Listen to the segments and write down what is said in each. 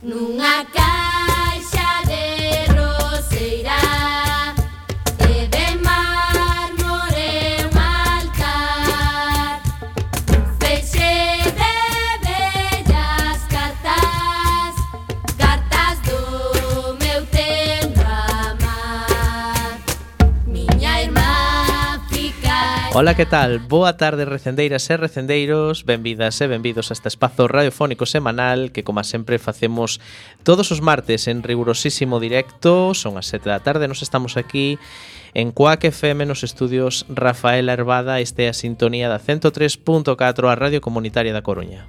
nunha caixa de roseira e de mármore un altar, un feixe de bellas cartas, cartas do meu tempo amar, miña irmá fica. Ola, que tal? Boa tarde, recendeiras e recendeiros. Benvidas e benvidos a este espazo radiofónico semanal que, como sempre, facemos todos os martes en rigurosísimo directo. Son as 7 da tarde, nos estamos aquí en Cuac FM nos estudios Rafael Herbada. Este é a sintonía da 103.4, a Radio Comunitaria da Coruña.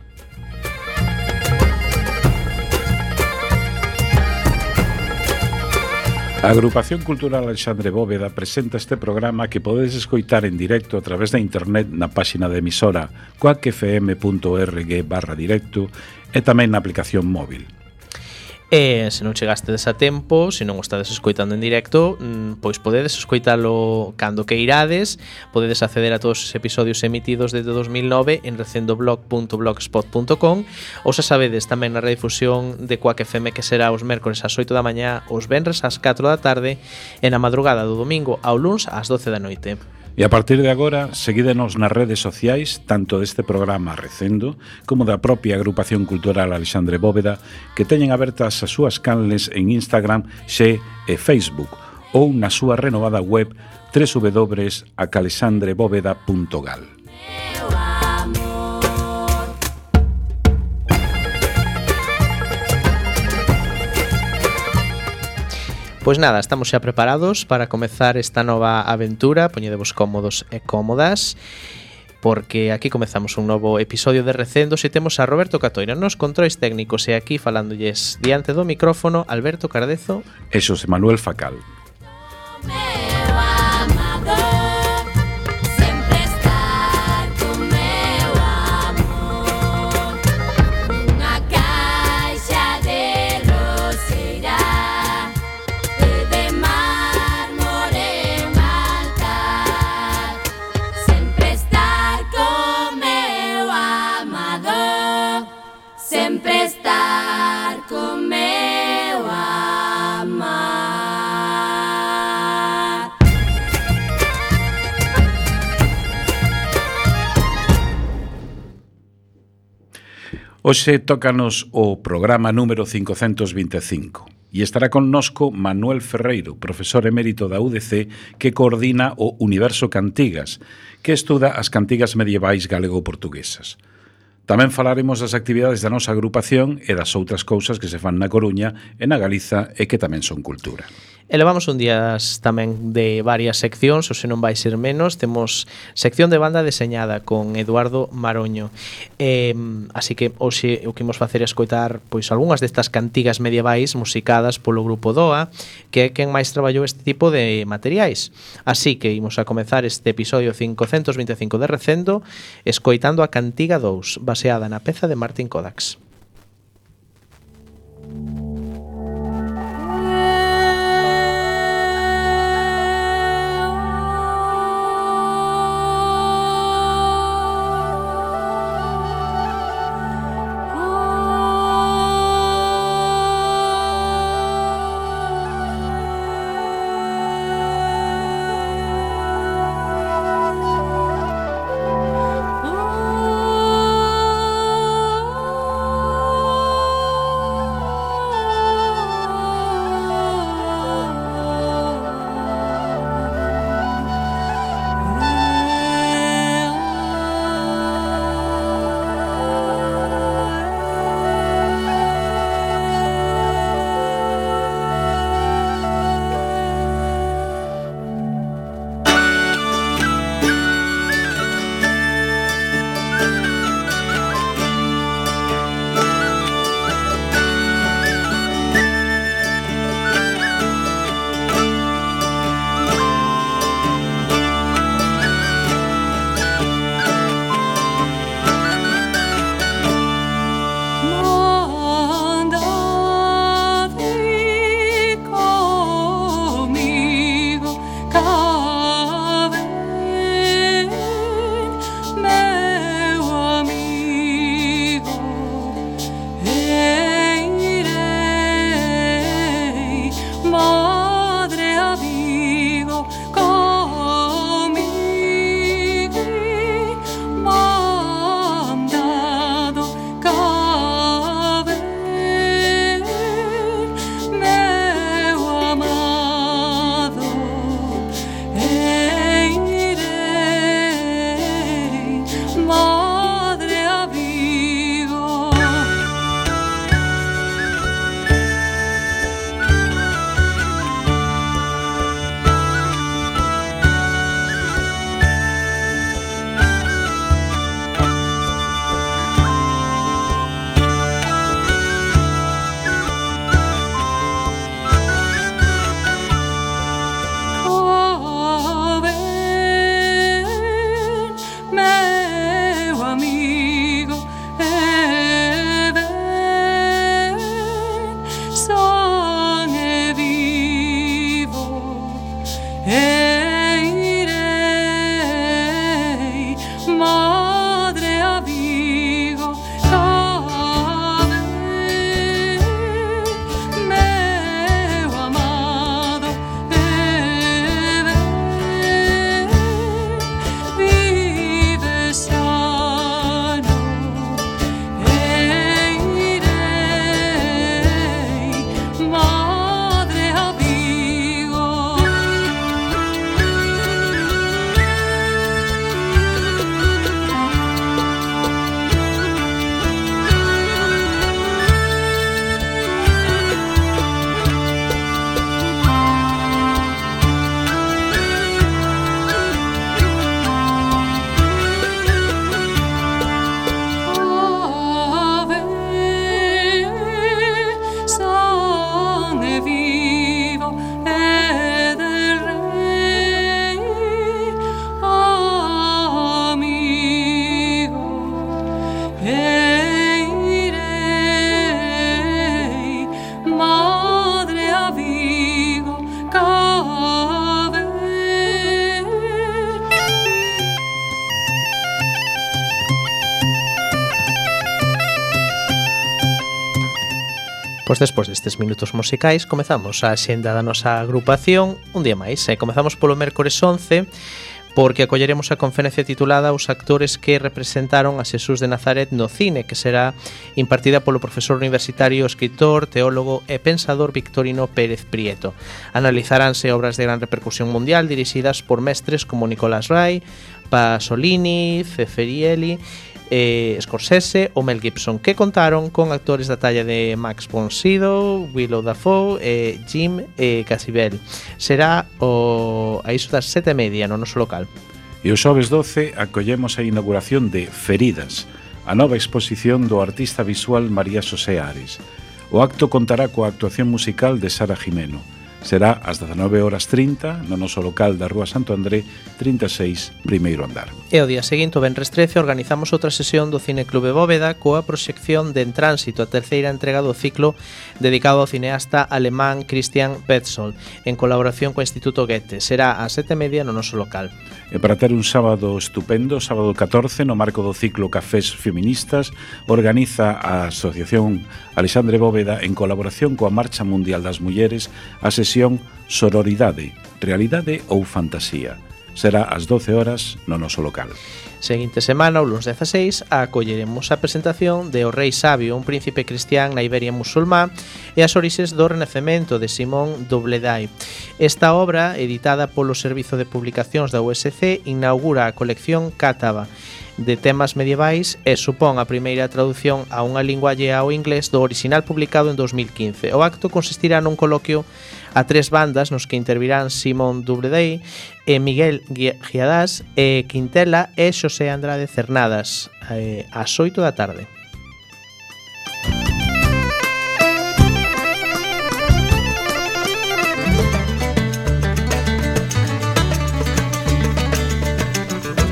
A Agrupación Cultural Alexandre Bóveda presenta este programa que podedes escoitar en directo a través da internet na páxina de emisora cuacfm.org/directo e tamén na aplicación móvil. E se non chegastes a tempo, se non o estades escoitando en directo, pois podedes escoitalo cando que irades. Podedes acceder a todos os episodios emitidos desde 2009 en recendoblog.blogspot.com, ou se sabedes tamén na redifusión de Cuac FM, que será os mércores ás 8 da mañá, os venres ás 4 da tarde e na madrugada do domingo ao luns ás 12 da noite. E a partir de agora, seguídenos nas redes sociais, tanto deste programa Recendo, como da propia Agrupación Cultural Alexandre Bóveda, que teñen abertas as súas canles en Instagram, Xe e Facebook, ou na súa renovada web www.acalexandrebóveda.gal. Pois nada, estamos xa preparados para comezar esta nova aventura. Poñedevos cómodos e cómodas, porque aquí comezamos un novo episodio de Recendos e temos a Roberto Catoira nos controis técnicos e aquí falándolles diante do micrófono Alberto Cardezo E Xosé Manuel Facal. Hoxe tócanos o programa número 525 e estará connosco Manuel Ferreiro, profesor emérito da UDC, que coordina o Universo Cantigas, que estuda as cantigas medievais galego-portuguesas. Tamén falaremos das actividades da nosa agrupación e das outras cousas que se fan na Coruña e na Galiza e que tamén son cultura. E levamos un días tamén de varias seccións, ou se non vai ser menos. Temos sección de banda deseñada con Eduardo Maroño. Así que hoxe o que imos facer é escoitar pois algunhas destas cantigas medievais musicadas polo grupo DOA, que é quen máis traballou este tipo de materiais. Así que imos a comezar este episodio 525 de Recendo escoitando a Cantiga 2, baseada na peza de Martin Kodax. Pois despois destes minutos musicais comezamos a xenda da nosa agrupación un día máis. Comezamos polo mércores 11 porque acolleremos a conferencia titulada Os actores que representaron a Xesús de Nazaret no cine, que será impartida polo profesor universitario, escritor, teólogo e pensador Victorino Pérez Prieto. Analizaránse obras de gran repercusión mundial dirixidas por mestres como Nicolás Ray, Pasolini, Ceferielli, Scorsese ou Mel Gibson, que contaron con actores da talla de Max von Sydow, Willem Dafoe e Jim Caviezel. Será a iso das 7:30 no noso local. E o xoves 12 acollemos a inauguración de Feridas, a nova exposición do artista visual María Xosé Ares. O acto contará coa actuación musical de Sara Jimeno. Será ás 19:30 no noso local da Rúa Santo André 36, primeiro andar. E o día seguinte, o venres 13, organizamos outra sesión do Cine Clube Bóveda coa proxección de En Tránsito, a terceira entrega do ciclo dedicado ao cineasta alemán Christian Petzold, en colaboración co Instituto Goethe. Será ás 7:30 no noso local. E para ter un sábado estupendo, sábado 14, no marco do ciclo Cafés Feministas, organiza a Asociación Alexandre Bóveda en colaboración coa Marcha Mundial das Mulleres a sesión Sororidade, Realidade ou Fantasía. Será ás 12 horas no noso local. Seguinte semana, o lunes 16, acolleremos a presentación de O Rei Sabio, un príncipe cristián na Iberia musulmá, e as orixes do Renacemento de Simón Dobledai. Esta obra, editada polo Servizo de Publicacións da USC, inaugura a colección Cátaba de temas medievais e supón a primeira traducción a unha lingua allea ao inglés do orixinal publicado en 2015. O acto consistirá nun coloquio a tres bandas nos que intervirán Simón Dobledai, Miguel Giadás, Quintela e Xosé Andrade Cernadas ás 8 da tarde.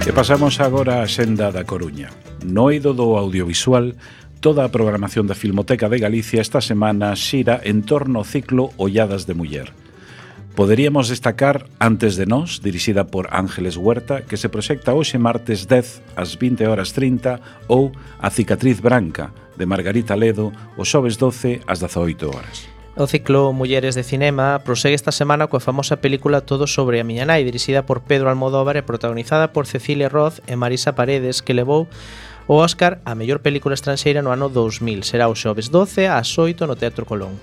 E pasamos agora á xenda da Coruña. No eido do audiovisual, toda a programación da Filmoteca de Galicia esta semana xira en torno ao ciclo Olladas de Muller. Poderíamos destacar Antes de Nós, dirixida por Ángeles Huerta, que se proxecta hoxe martes 10 ás 20:30, ou A cicatriz branca, de Margarita Ledo, o xoves 12 ás 18 horas. O ciclo Mulleres de Cinema prosegue esta semana coa famosa película Todo sobre a miña nai, dirixida por Pedro Almodóvar e protagonizada por Cecilia Roth e Marisa Paredes, que levou o Óscar a mellor película estranxeira no ano 2000. Será o xoves 12 ás 8 no Teatro Colón.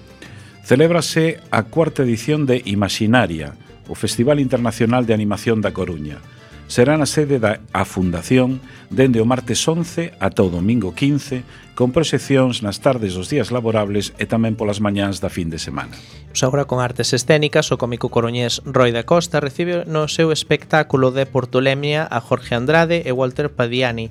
Celébrase a cuarta edición de Imaginaria, o Festival Internacional de Animación da Coruña. Será na sede da Fundación dende o martes 11 ata o domingo 15, con proxeccións nas tardes dos días laborables e tamén polas mañáns da fin de semana. Agora con artes escénicas, o cómico coruñés Roi da Costa recibe no seu espectáculo de Portolemia a Jorge Andrade e Walter Padiani.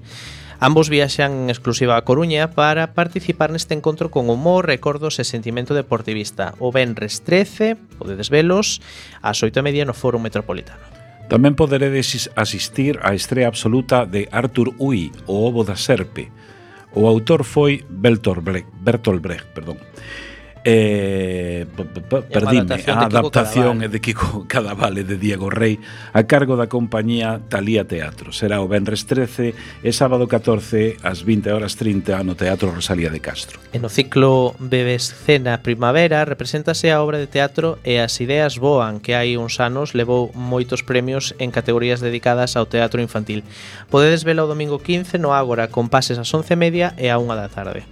Ambos viaxan en exclusiva a Coruña para participar neste encontro con humor, recordos e sentimento deportivista. O venres 13, podedes velos, ás 8:30 no Foro Metropolitano. Tamén poderedes asistir á estrea absoluta de Arthur Uy, O ovo da serpe. O autor foi Bertolt Brecht. Perdime, a adaptación é de Kiko Cadavale de Diego Rey a cargo da compañía Talía Teatro. Será o venres 13 e sábado 14 ás 20:30 no Teatro Rosalía de Castro. E no ciclo Bebescena Primavera represéntase a obra de teatro E as ideas voan, que hai uns anos levou moitos premios en categorías dedicadas ao teatro infantil. Podedes vela o domingo 15 no Ágora con pases ás 11:30 e a 1 da tarde.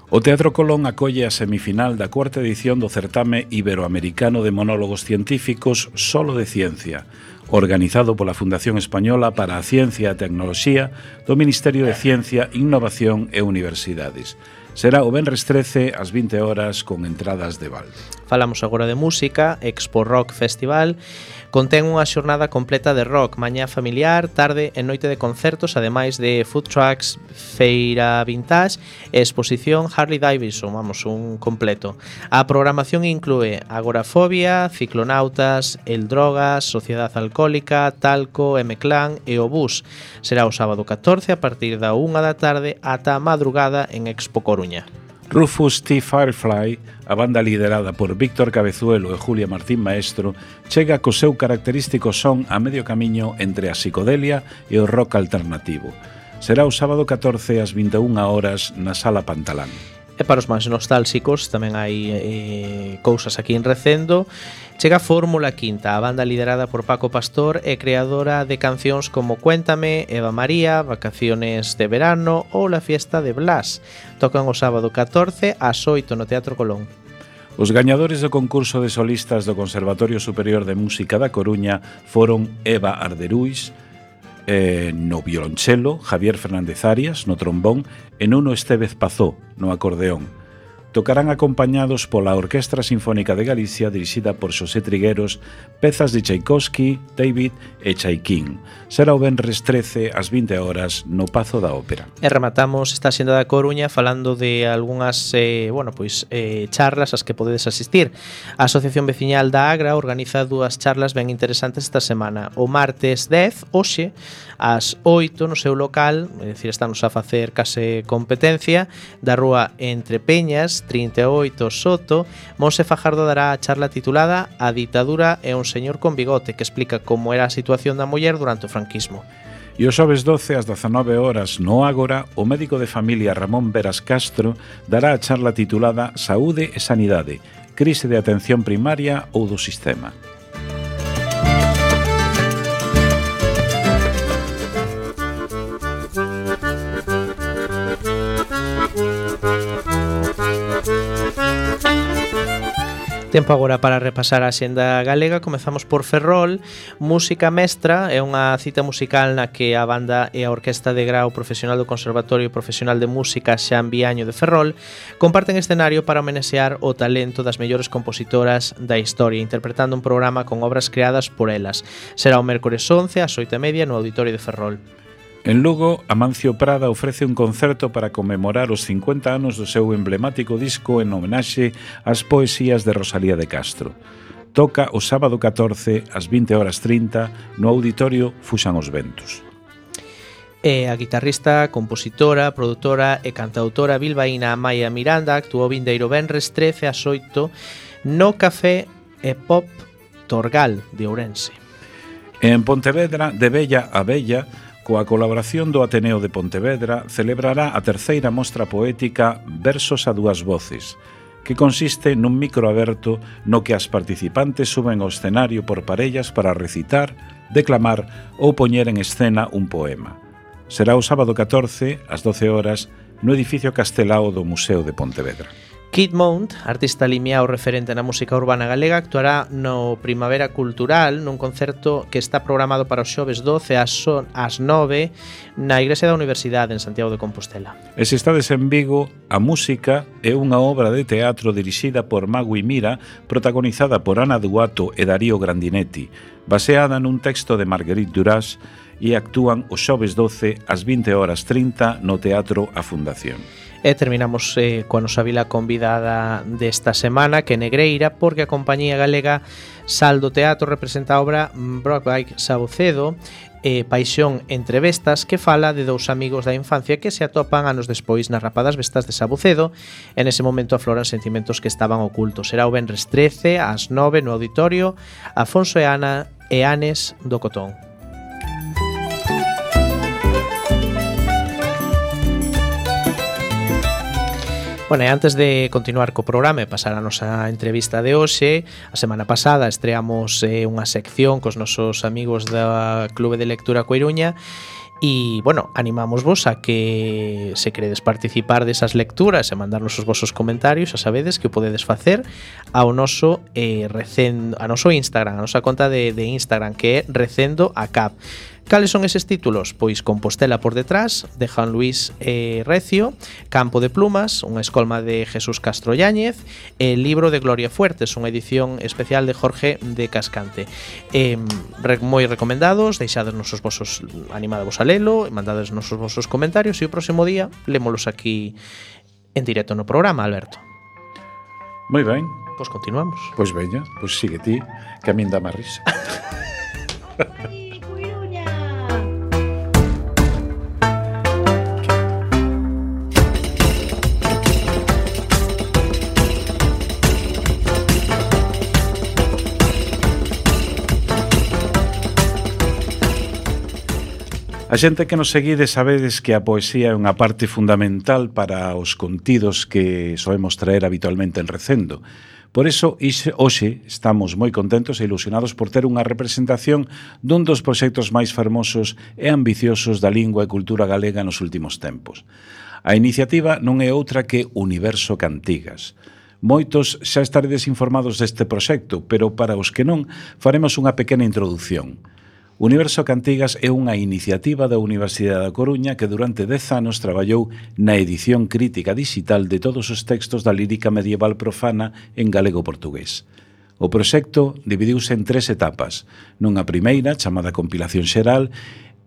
O Teatro Colón acolle a semifinal da cuarta edición do certame iberoamericano de monólogos científicos Solo de Ciencia, organizado pola Fundación Española para a Ciencia e a Tecnoloxía do Ministerio de Ciencia, Innovación e Universidades. Será o venres 13 ás 20 horas con entradas de balde. Falamos agora de música. Expo Rock Festival contén unha xornada completa de rock, mañá familiar, tarde e noite de concertos, ademais de food trucks, feira vintage e exposición Harley Davidson, un completo. A programación inclúe Agorafobia, Ciclonautas, El Drogas, Sociedade Alcohólica, Talco, M-Clan e o Bus. Será o sábado 14 a partir da 1 da tarde ata a madrugada en Expo Coruña. Rufus T. Firefly, a banda liderada por Víctor Cabezuelo e Julia Martín Maestro, chega co seu característico son a medio camiño entre a psicodelia e o rock alternativo. Será o sábado 14 ás 21 horas na Sala Pantalán. E para os máis nostálxicos tamén hai cousas aquí en Recendo. Chega a Fórmula Quinta, a banda liderada por Paco Pastor e creadora de cancións como Cuéntame, Eva María, Vacaciones de Verano ou La Fiesta de Blas. Tocan o sábado 14 ás 8 no Teatro Colón. Os gañadores do concurso de solistas do Conservatorio Superior de Música da Coruña foron Eva Arderuis no violonchelo, Javier Fernández Arias no trombón e Nuno Estévez Pazó no acordeón. Tocarán acompañados pola Orquestra Sinfónica de Galicia dirixida por Xosé Trigueros pezas de Tchaikovsky, David e Chaikin. Será o venres 13 ás 20 horas no Pazo da Ópera. E rematamos esta xenda da Coruña falando de algunhas charlas ás que podedes asistir. A Asociación Veciñal da Agra organiza dúas charlas ben interesantes esta semana. O martes 10, hoxe, ás 8 no seu local, é dicir, estamos a facer case competencia, da rúa Entre Peñas, 38 Soto, Monse Fajardo dará a charla titulada A ditadura e un señor con bigote, que explica como era a situación da muller durante o franquismo. E o xoves 12 ás 19 horas no Ágora, o médico de familia Ramón Veras Castro dará a charla titulada Saúde e Sanidade, crise de atención primaria ou do sistema. Tempo agora para repasar a xenda galega. Comezamos por Ferrol. Música Mestra é unha cita musical na que a banda e a Orquesta de Grau Profesional do Conservatorio Profesional de Música Xan Viaño de Ferrol comparten escenario para homenaxear o talento das mellores compositoras da historia, interpretando un programa con obras creadas por elas. Será o mércores 11 ás 8:30 no Auditorio de Ferrol. En Lugo, Amancio Prada ofrece un concerto para conmemorar os 50 anos do seu emblemático disco en homenaxe ás poesías de Rosalía de Castro. Toca o sábado 14 ás 20:30 no Auditorio Fuxan os Ventos. E a guitarrista, compositora, produtora e cantautora bilbaína Amaia Miranda actuou vindeiro venres 13 ás 8 no Café e Pop Torgal de Ourense. En Pontevedra, de Bella a Bella, coa colaboración do Ateneo de Pontevedra, celebrará a terceira mostra poética Versos a dúas voces, que consiste nun micro aberto no que as participantes suben ao escenario por parellas para recitar, declamar ou poñer en escena un poema. Será o sábado 14, ás 12 horas, no edificio Castelao do Museo de Pontevedra. Kid Mount, artista limiao referente na música urbana galega, actuará no Primavera Cultural nun concerto que está programado para os xoves 12 ás 9 na Igrexa da Universidade en Santiago de Compostela. E se estades en Vigo, a música é unha obra de teatro dirixida por Magui Mira, protagonizada por Ana Duato e Darío Grandinetti, baseada nun texto de Marguerite Duras, e actúan os xoves 12 ás 20:30 no Teatro A Fundación. E terminamos coa nosa vila convidada desta semana, que é Negreira, porque a compañía galega Saldo Teatro representa a obra Brockbike Sabucedo, Paixón entre Bestas, que fala de dous amigos da infancia que se atopan anos despois nas rapadas bestas de Sabucedo. En ese momento afloran sentimentos que estaban ocultos. Será o venres 13 ás 9 no Auditorio Afonso e Anes do Cotón. Bueno, e antes de continuar co programa e pasar a nosa entrevista de hoxe, a semana pasada estreamos unha sección cos nosos amigos da Clube de Lectura Coiruña e, bueno, animámosvos a que se queredes participar desas lecturas e mandarnos os vosos comentarios, a sabedes que o podedes facer ao noso a noso Instagram, a nosa conta de Instagram, que é Recendo a Cap. Cales son eses títulos? Pois Compostela por detrás, de Juan Luis Recio, Campo de Plumas, unha escolma de Jesús Castro Yáñez, e Libro de Gloria Fuertes, unha edición especial de Jorge de Cascante. Moi recomendados, deixades nosos vosos, animadevos a lelo, mandades nosos vosos comentarios e o próximo día lémolos aquí en directo no programa, Alberto. Moi ben. Pois continuamos. Pois veña, pois sigue ti, que a min dá má risa. A xente que nos seguide sabedes que a poesía é unha parte fundamental para os contidos que soemos traer habitualmente en Recendo. Por iso, hoxe estamos moi contentos e ilusionados por ter unha representación dun dos proxectos máis fermosos e ambiciosos da lingua e cultura galega nos últimos tempos. A iniciativa non é outra que Universo Cantigas. Moitos xa estaredes informados deste proxecto, pero para os que non, faremos unha pequena introducción. Universo Cantigas é unha iniciativa da Universidade da Coruña que durante 10 anos traballou na edición crítica digital de todos os textos da lírica medieval profana en galego-portugués. O proxecto dividiuse en 3 etapas. Nunha primeira, chamada Compilación Xeral,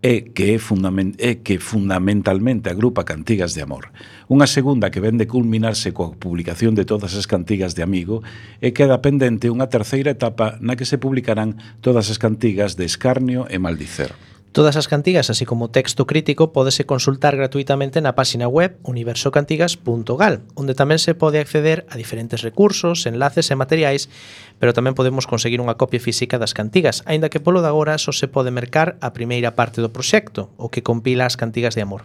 que fundamentalmente agrupa cantigas de amor. Unha segunda que vende culminarse coa publicación de todas as cantigas de amigo e queda pendente unha terceira etapa na que se publicarán todas as cantigas de escarnio e maldicer. Todas as cantigas, así como texto crítico, pódese consultar gratuitamente na páxina web universocantigas.gal, onde tamén se pode acceder a diferentes recursos, enlaces e materiais, pero tamén podemos conseguir unha copia física das cantigas, aínda que polo de agora só se pode mercar a primeira parte do proxecto, o que compila as cantigas de amor.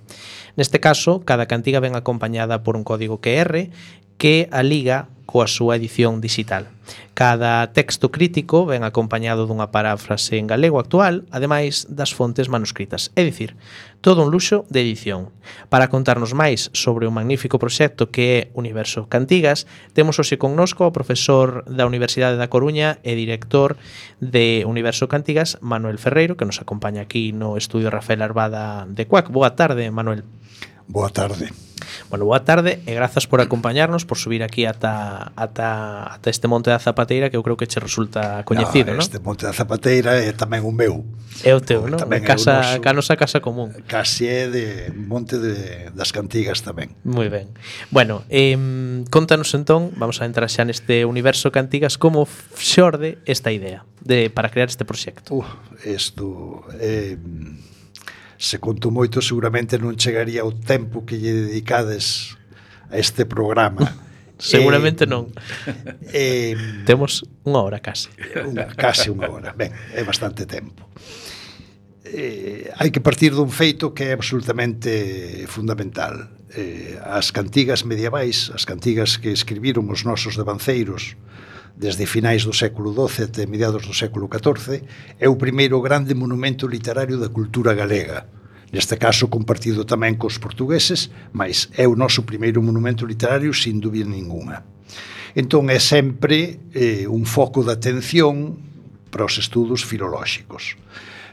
Neste caso, cada cantiga ven acompañada por un código QR que a liga coa súa edición digital. Cada texto crítico ven acompañado dunha paráfrase en galego actual, ademais das fontes manuscritas. É dicir, todo un luxo de edición. Para contarnos máis sobre o magnífico proxecto que é Universo Cantigas, temos hoxe connosco o profesor da Universidade da Coruña e director de Universo Cantigas, Manuel Ferreiro, que nos acompaña aquí no estudio Rafael Arbada de CUAC. Boa tarde, Manuel. Boa tarde. Bueno, boa tarde e grazas por acompañarnos, por subir aquí ata este Monte da Zapateira, que eu creo que che resulta coñecido, non? Este Monte da Zapateira é tamén o meu. É o teu, non? A nosa casa común. Casi é de Monte das Cantigas tamén. Moi ben. Bueno, contanos entón, vamos a entrar xa neste Universo Cantigas, como xorde esta idea para crear este proxecto. Isto se conto moito, seguramente non chegaría o tempo que lle dedicades a este programa. Seguramente non. Temos unha hora case. Case unha hora. Ben, é bastante tempo. Hai que partir dun feito que é absolutamente fundamental. As cantigas medievais, as cantigas que escribiron os nosos devanceiros desde finais do século XII até mediados do século XIV, é o primeiro grande monumento literario da cultura galega. Neste caso compartido tamén cos portugueses, mas é o noso primeiro monumento literario sin dúbida ninguna. Entón é sempre un foco de atención para os estudos filolóxicos.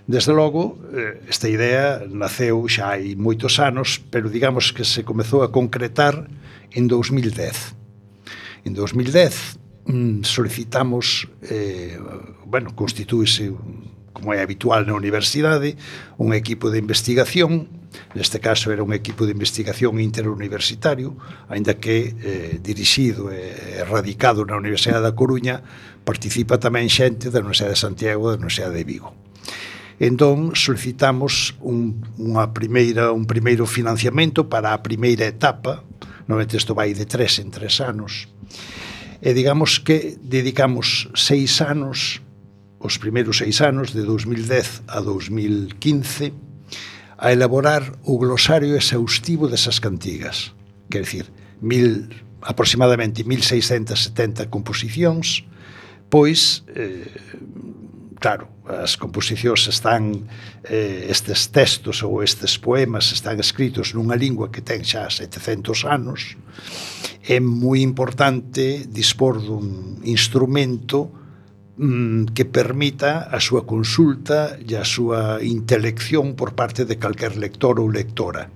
Desde logo, esta idea naceu xa hai moitos anos, pero digamos que se comezou a concretar en 2010. En 2010 solicitamos, constitúese, como é habitual na universidade, un equipo de investigación. Neste caso era un equipo de investigación interuniversitario, aínda que dirixido e radicado na Universidade da Coruña, participa tamén xente da Universidade de Santiago e da Universidade de Vigo. Entón solicitamos un primeiro financiamento para a primeira etapa. Normalmente isto vai de 3 en 3 anos. E digamos que dedicamos 6 anos, os primeiros 6 anos, de 2010 a 2015, a elaborar o glosario exhaustivo desas cantigas. Quer dicir, aproximadamente 1670 composicións, pois, claro, as composicións están, estes textos ou estes poemas están escritos nunha lingua que ten xa 700 anos. É moi importante dispor dun instrumento que permita a súa consulta e a súa intelección por parte de calquer lector ou lectora.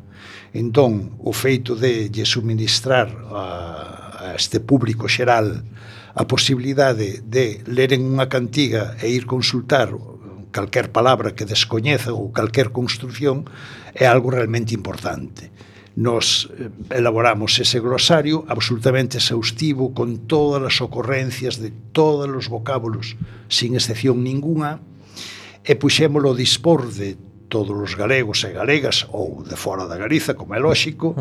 Entón, o feito de lle suministrar a este público xeral a posibilidade de leren unha cantiga e ir consultar calquer palabra que descoñeza ou calquer construción é algo realmente importante. Nos elaboramos ese glosario absolutamente exhaustivo con todas as ocorrencias de todos os vocábulos sin excepción ninguna e puxémolo a dispor de todos os galegos e galegas ou de fora da Galiza, como é lóxico,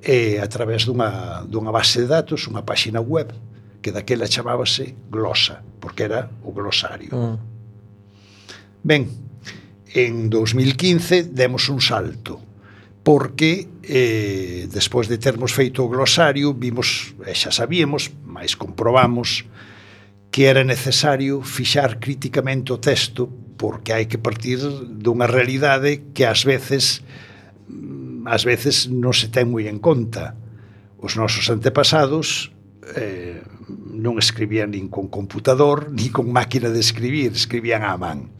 e a través dunha base de datos, unha páxina web que daquela chamábase Glosa, porque era o glosario. Ben, En 2015 demos un salto, porque despois de termos feito o glosario vimos, e xa sabíamos, mas comprobamos que era necesario fixar críticamente o texto, porque hai que partir dunha realidade que ás veces non se ten moi en conta. Os nosos antepasados non escribían nin con computador nin con máquina de escribir, escribían á man.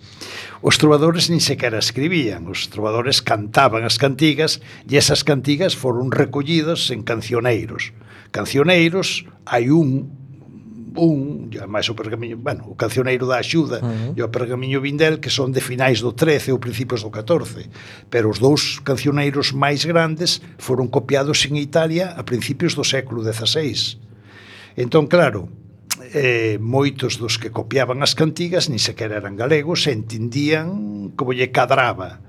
Os trovadores nin sequera escribían, os trovadores cantaban as cantigas, e esas cantigas foron recollidas en cancioneiros. Cancioneiros, hai máis o pergamiño, bueno, o cancioneiro da Axuda e o pergamiño Vindel, que son de finais do 13 ou principios do 14, pero os dous cancioneiros máis grandes foron copiados en Italia a principios do século XVI. Entón, claro, moitos dos que copiaban as cantigas nin sequera eran galegos e entendían como lle cadraba.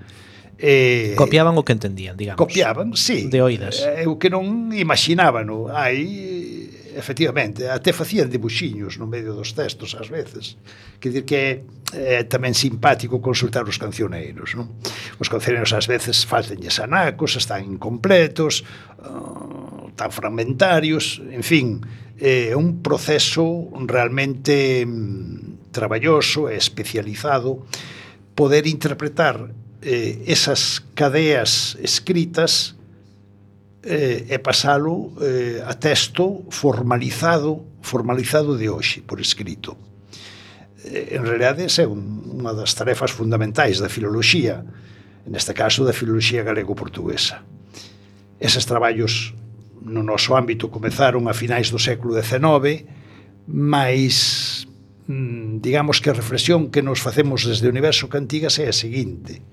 Copiaban o que entendían, digamos. Copiaban, sí. De oídas. O que non imaginaban, no? Efectivamente, até facían dibuxiños no medio dos textos ás veces. Quer dizer que é tamén simpático consultar os cancioneiros, non? Os cancioneiros ás veces faltanlles anacos, están incompletos, tan fragmentarios, en fin, é un proceso realmente traballoso e especializado poder interpretar esas cadeas escritas e pasalo a texto formalizado de hoxe, por escrito. En realidade, é unha das tarefas fundamentais da filoloxía, neste caso da filoloxía galego-portuguesa. Eses traballos no noso ámbito comezaron a finais do século XIX, mas digamos que a reflexión que nos facemos desde o Universo Cantigas é a seguinte: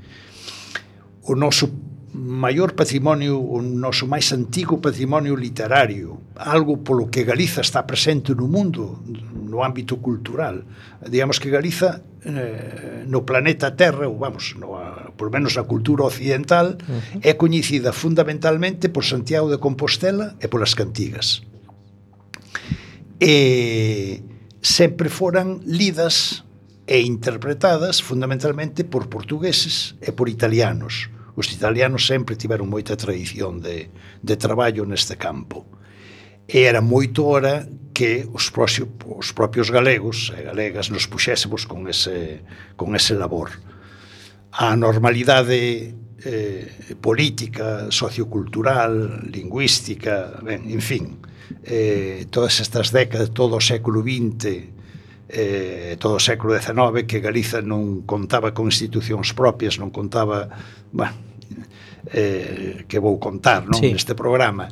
o noso maior patrimonio, o noso máis antigo patrimonio literario, algo polo que Galiza está presente no mundo, no ámbito cultural. Digamos que Galiza no planeta Terra, ou vamos, por menos na cultura occidental, é coñecida fundamentalmente por Santiago de Compostela e polas cantigas. E sempre foran lidas e interpretadas fundamentalmente por portugueses e por italianos. Os italianos sempre tiveron moita tradición de traballo neste campo. E era moito hora que os propios galegos e galegas nos puxésemos con ese labor. A normalidade política, sociocultural, lingüística, ben, en fin, todas estas décadas, todo o século XX, todo o século XIX, que Galiza non contaba con institucións propias, non contaba, que vou contar, non? Sí. Neste programa,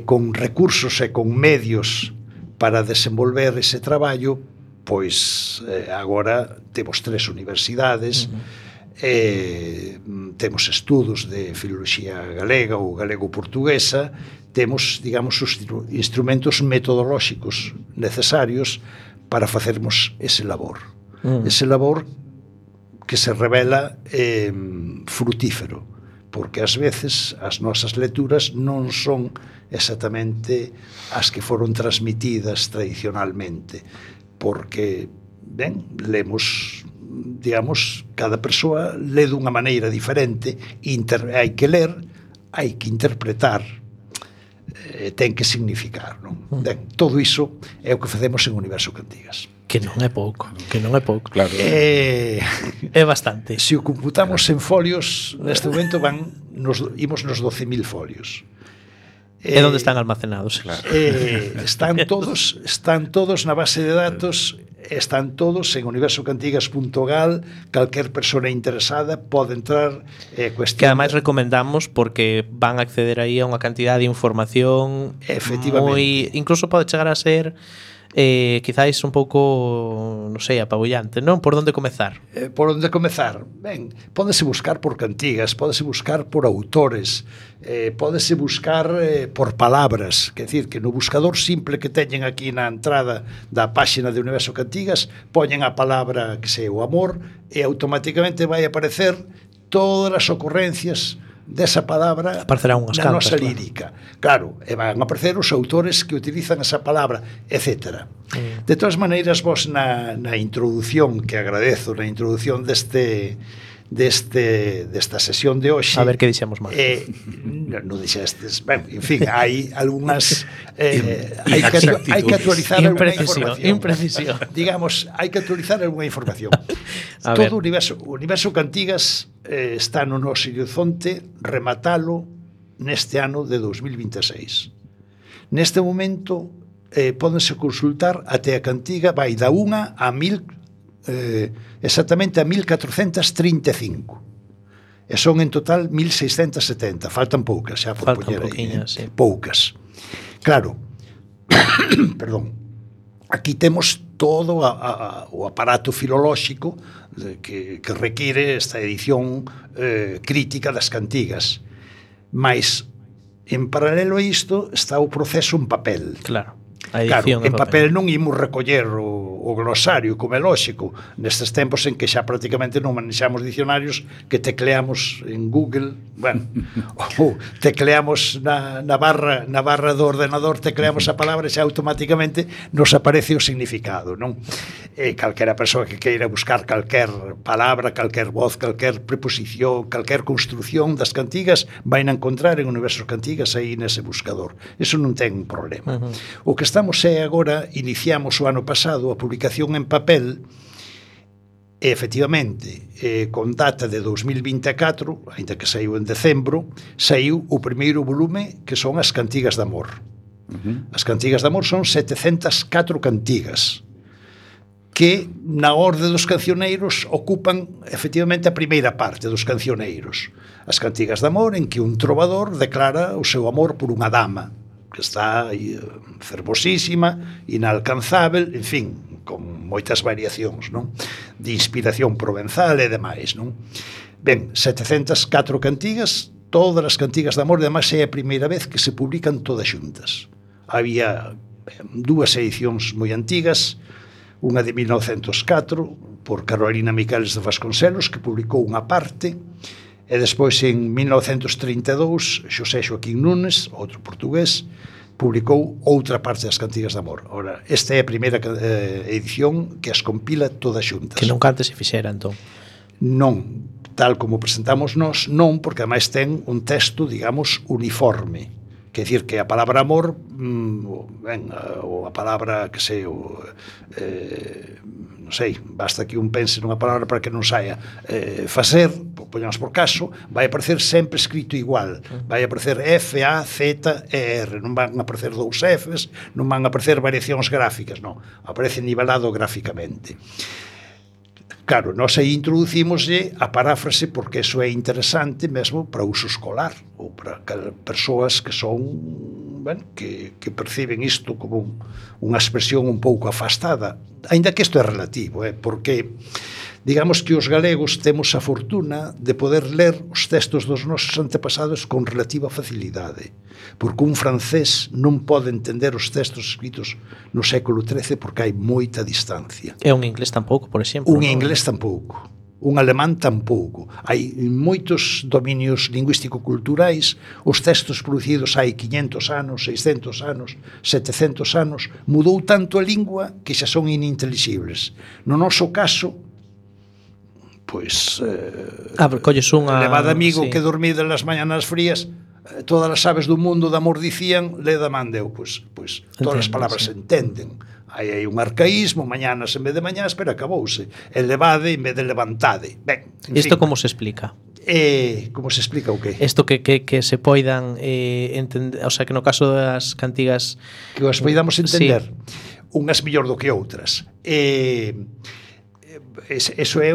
con recursos e con medios para desenvolver ese traballo, pois agora temos 3 universidades, temos estudos de filoloxía galega ou galego-portuguesa, temos, digamos, os instrumentos metodolóxicos necesarios para facermos ese labor. Ese labor que se revela frutífero, porque ás veces as nosas lecturas non son exactamente as que foron transmitidas tradicionalmente, porque, ben, lemos, digamos, cada persoa lê dunha maneira diferente, hai que ler, hai que interpretar, ten que significar, non? Ben, todo iso é o que facemos en Universo Cantigas. Que non é pouco, Claro. É bastante. Se o computamos en folios, neste momento imos nos 12.000 folios. E onde están almacenados? Claro. Están todos na base de datos, están todos en universocantigas.gal. Calquer persona interesada pode entrar que ademais recomendamos, porque van a acceder aí a unha cantidad de información moi, incluso pode chegar a ser quizáis un pouco, non sei, apabullante, non? Por onde comezar? Por onde comezar? Ben, pódese buscar por cantigas, pódese buscar por autores, pódese buscar por palabras, quer decir, que no buscador simple que teñen aquí na entrada da páxina de Universo Cantigas, poñen a palabra, que sei, o amor, e automáticamente vai aparecer todas as ocurrencias desa palabra na nosa lírica. Claro, e van a aparecer os autores que utilizan esa palabra, etc. De todas maneiras, vos na introdución, que agradezo, na introdución deste desta sesión de hoxe. A ver que dixemos mal. Non dixestes. Ben, en fin, hai algunhas hai que actualizar alguna información. Imprecisión. Digamos, hai que actualizar alguna información. Todo o universo Cantigas está no noso horizonte rematalo neste ano de 2026. Neste momento pódense consultar até a cantiga vai da 1 a 1000 exactamente a 1435 e son en total 1670, faltan poucas xa por poñer aí, sí. Poucas, claro. Perdón, aquí temos todo o aparato filolóxico que require esta edición crítica das cantigas, mas en paralelo a isto está o proceso en papel. Claro. Claro, en papel non imos recoller o glosario, como é lóxico, nestes tempos en que xa prácticamente non manexamos dicionarios que tecleamos en Google, bueno, ou tecleamos na barra do ordenador, tecleamos a palabra e xa automáticamente nos aparece o significado, non? Calquera persoa que queira buscar calquer palabra, calquer voz, calquer preposición, calquer construción das cantigas, vai a encontrar en Universos Cantigas aí nese buscador. Eso non ten problema. O que estamos agora, iniciamos o ano pasado a publicación en papel e efectivamente con data de 2024, ainda que saiu en decembro, saiu o primeiro volume que son as Cantigas de Amor. As Cantigas de Amor son 704 cantigas que na orde dos cancioneiros ocupan efectivamente a primeira parte dos cancioneiros. As Cantigas de Amor en que un trovador declara o seu amor por unha dama que está fervosísima, inalcanzável, en fin, con moitas variacións, non? De inspiración provenzal e demais, non? Ben, 704 cantigas, todas as cantigas de amor, además é a primeira vez que se publican todas xuntas. Había dúas edicións moi antigas, unha de 1904 por Carolina Miqueles de Vasconcelos, que publicou unha parte, e despois en 1932 Xosé Xoaquín Núñez, outro portugués, publicou outra parte das Cantigas de Amor. Ora, esta é a primeira edición que as compila todas xuntas. Que nunca antes se fixera, entón. Non, tal como presentamos nós, non, porque ademais ten un texto, digamos, uniforme. Quer dicir que a palabra amor, ou a palabra, que sei, non sei, basta que un pense nunha palabra para que non saia facer, poñamos por caso, vai aparecer sempre escrito igual, vai aparecer F, A, Z, E, R, non van aparecer dous Fs, non van aparecer variacións gráficas, non, aparece nivelado gráficamente. Claro, nós aí introducimoslle a paráfrase porque eso é interesante mesmo para uso escolar ou para persoas que son, bueno, que perciben isto como unha expresión un pouco afastada, aínda que isto é relativo, porque digamos que os galegos temos a fortuna de poder ler os textos dos nosos antepasados con relativa facilidade, porque un francés non pode entender os textos escritos no século XIII porque hai moita distancia. E un inglés tampouco, por exemplo. Un inglés tampouco. Un alemán tampouco. Hai moitos dominios lingüístico-culturais, os textos producidos hai 500 anos, 600 anos, 700 anos, mudou tanto a lingua que xa son inintelixibles. No noso caso, pois colles unha levado amigo sí. Que dormida nas mañanas frías, todas as aves do mundo de amor dicían, leda man deu, pois todas as palabras se entenden. Hai un arcaísmo, mañanas en vez de mañás, pero acabouse. Elevade en vez de levantade. Ben, isto como se explica? Como se explica o qué? Isto que se poidan entender, o sea, que no caso das cantigas que as poidamos entender, sí. Unhas mellor do que outras. Eso é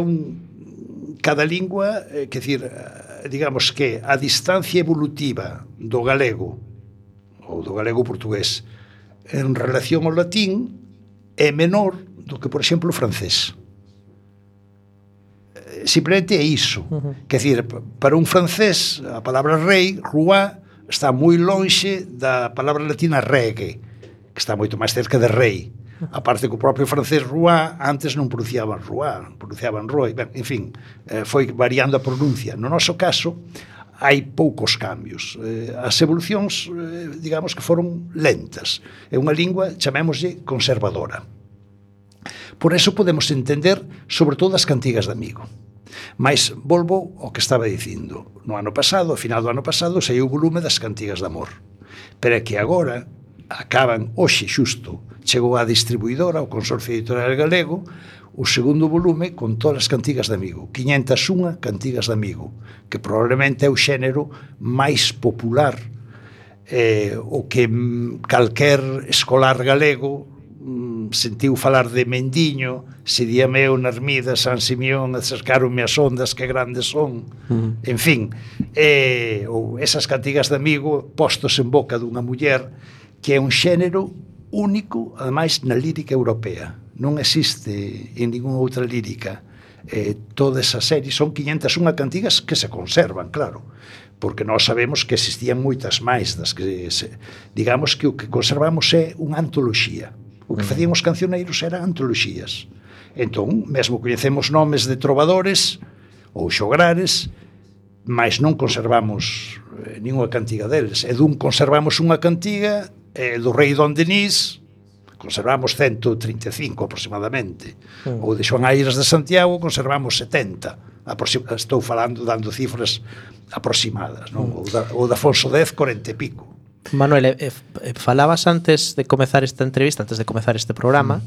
cada lingua, que decir, digamos que a distancia evolutiva do galego ou do galego portugués en relación ao latín é menor do que, por exemplo, o francés. Simplemente é iso. Que decir, para un francés a palabra rei, roi, está moi lonxe da palabra latina reggae, que está moito máis cerca de rei. A parte que o propio francés roi antes non pronunciaban roi, pronunciaban roi. Ben, en fin, foi variando a pronuncia. No noso caso, hai poucos cambios. As evolucións, digamos que foron lentas. É unha lingua, chamémoslle, conservadora. Por eso podemos entender, sobre todo, as cantigas de amigo. Mais volvo ao que estaba dicindo. No ano pasado, a final do ano pasado, saiu o volume das cantigas de amor. Pero é que agora acaban, hoxe xusto, chegou á distribuidora, ao Consorcio Editorial Galego, o segundo volume con todas as cantigas de amigo, 501 cantigas de amigo, que probablemente é o xénero máis popular, o que calquer escolar galego sentiu falar de Mendiño, se díame eu na ermida San Simeón, acercaronme as ondas que grandes son, en fin, ou esas cantigas de amigo postos en boca dunha muller, que é un xénero único, ademais, na lírica europea. Non existe en ninguna outra lírica. Toda esa serie son 501 cantigas que se conservan, claro, porque nós sabemos que existían moitas máis das que digamos que o que conservamos é unha antoloxía. O que facían os cancioneiros eran antoloxías. Entón, mesmo coñecemos nomes de trovadores ou xograres, mas non conservamos ninguna cantiga deles. E dun conservamos unha cantiga do rei Don Denis, conservamos 135 aproximadamente, ou de Xoán Aires de Santiago conservamos 70, estou falando dando cifras aproximadas, non? Ou da Afonso X, 40 e pico. Manuel, falabas antes de comezar esta entrevista, antes de comezar este programa,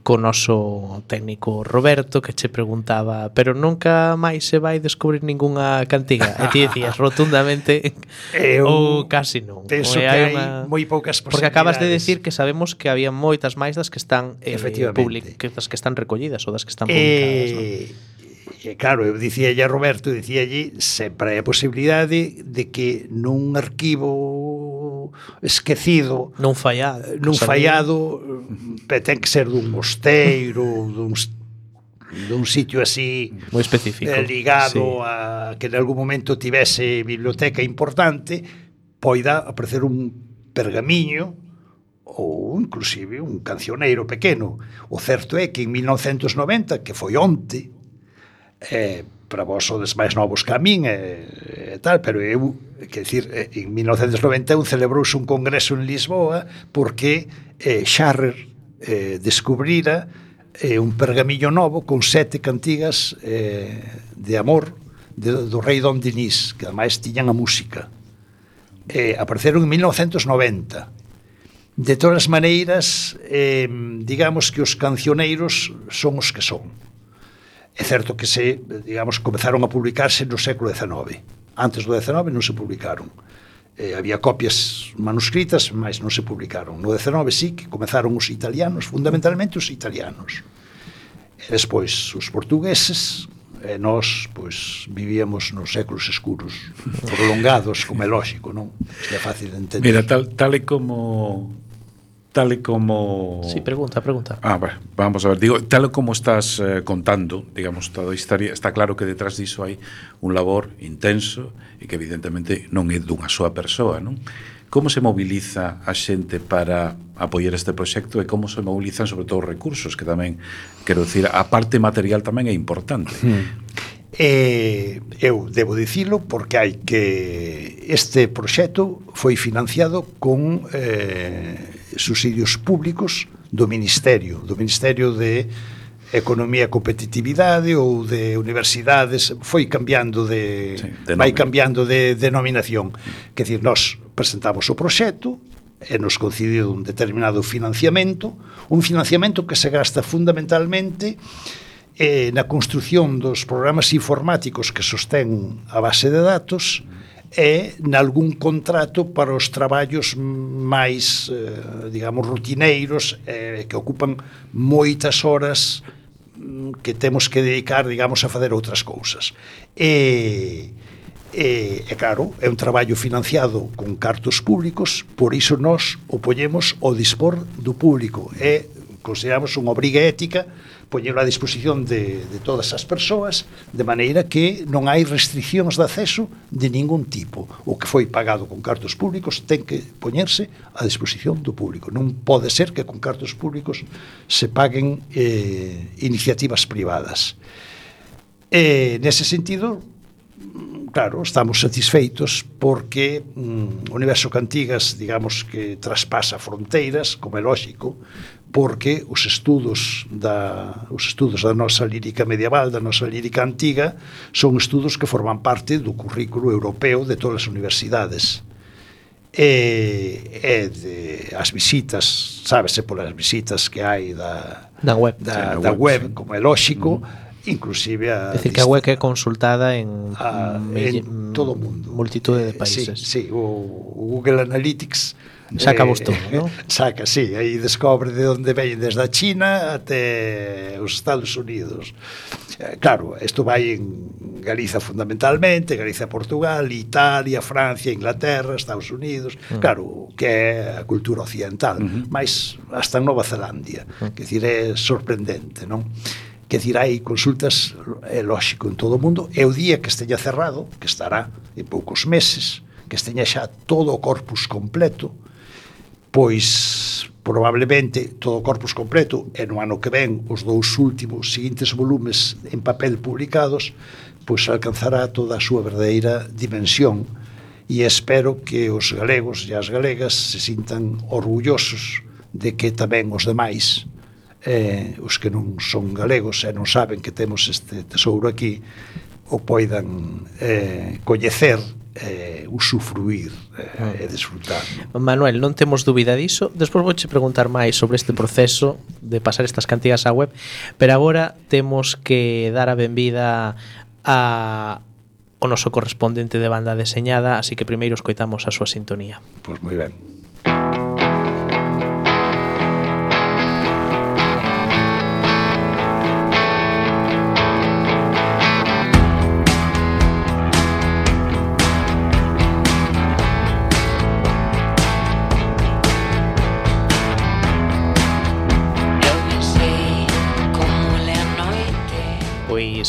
co noso técnico Roberto, que che preguntaba, pero nunca máis se vai descubrir ningunha cantiga, e ti decías rotundamente ou casi non. Penso que hai moi poucas posibilidades. Porque acabas de decir que sabemos que había moitas máis das que están das que están recollidas ou das que están publicadas, non? Claro, eu dicíalle a Roberto, dicíalle sempre hai a posibilidade de que nun arquivo esquecido, non fallado, ten que ser dun mosteiro, dun sitio así moi específico, ligado a que en algún momento tivese biblioteca importante, poida aparecer un pergamiño ou inclusive un cancioneiro pequeno. O certo é que en 1990, que foi onte, para vos sodes máis novos que a min e tal, pero eu, quer dicir, en 1991 celebrouse un congreso en Lisboa porque Scharrer descubrira un pergamillo novo con 7 cantigas de amor do rei Don Denis, que ademais tiñan a música. Apareceron en 1990. De todas as maneiras, digamos que os cancioneiros son os que son. É certo que comezaron a publicarse no século XIX. Antes do XIX non se publicaron. Había copias manuscritas, mas non se publicaron. No XIX sí que comezaron os italianos, fundamentalmente os italianos. E despois os portugueses, e nós vivíamos nos séculos escuros, prolongados, como é lógico, non? Isto é fácil de entender. Mira, tal e como... Sí, pregunta. Bueno, vamos a ver, digo, tal como estás contando, digamos, toda a historia, está claro que detrás diso hai un labor intenso e que evidentemente non é dunha súa persoa, non? Como se moviliza a xente para apoiar este proxecto e como se movilizan sobre todo os recursos, que tamén, quero dicir, a parte material tamén é importante. Eu debo dicilo porque hai que este proxecto foi financiado con subsidios públicos do Ministerio de Economía e Competitividade ou de universidades, foi cambiando vai cambiando de denominación. Quer dizer, nós presentamos o proxecto e nos concedido un determinado financiamento, un financiamento que se gasta fundamentalmente na construción dos programas informáticos que sostén a base de datos e nalgún contrato para os traballos máis, digamos, rutineiros que ocupan moitas horas que temos que dedicar, digamos, a fazer outras cousas. E claro, é un traballo financiado con cartos públicos, por iso nós o poñemos ao dispor do público e consideramos unha obriga ética poñelo a disposición de todas as persoas, de maneira que non hai restriccións de acceso de ningún tipo. O que foi pagado con cartos públicos ten que poñerse a disposición do público. Non pode ser que con cartos públicos se paguen iniciativas privadas. Nese sentido, claro, estamos satisfeitos porque o universo Cantigas, digamos que traspasa fronteiras, como é lógico, porque os estudos da nosa lírica medieval, da nosa lírica antiga, son estudos que forman parte do currículo europeo de todas as universidades. As visitas, sábese polas visitas que hai da web, como é lógico, inclusive decir que a web é consultada en todo o mundo, multitude de países. Sí, o Google Analytics saca vos todo, ¿no? Saca, sí, aí descobre de onde veñen desde a China até os Estados Unidos. Claro, isto vai en Galiza fundamentalmente, Galiza, Portugal, Italia, Francia, Inglaterra, Estados Unidos, claro, que é a cultura occidental, mas hasta en Nova Zelandia, que decir, é sorprendente, non? Que decir, hai consultas, é lógico, en todo o mundo, e o día que esteña cerrado, que estará en poucos meses, que esteña xa todo o corpus completo, pois probablemente todo o corpus completo, e no ano que ven os dous últimos seguintes volumes en papel publicados, pois alcanzará toda a súa verdadeira dimensión, e espero que os galegos e as galegas se sintan orgullosos de que tamén os demais, os que non son galegos e non saben que temos este tesouro aquí, o poidan coñecer, usufruir e desfrutar. Manuel, non temos dúbida diso. Despois vouche preguntar máis sobre este proceso de pasar estas cantigas á web, pero agora temos que dar a benvida ao noso correspondente de banda deseñada, así que primeiro escoitamos a súa sintonía. Pois moi ben.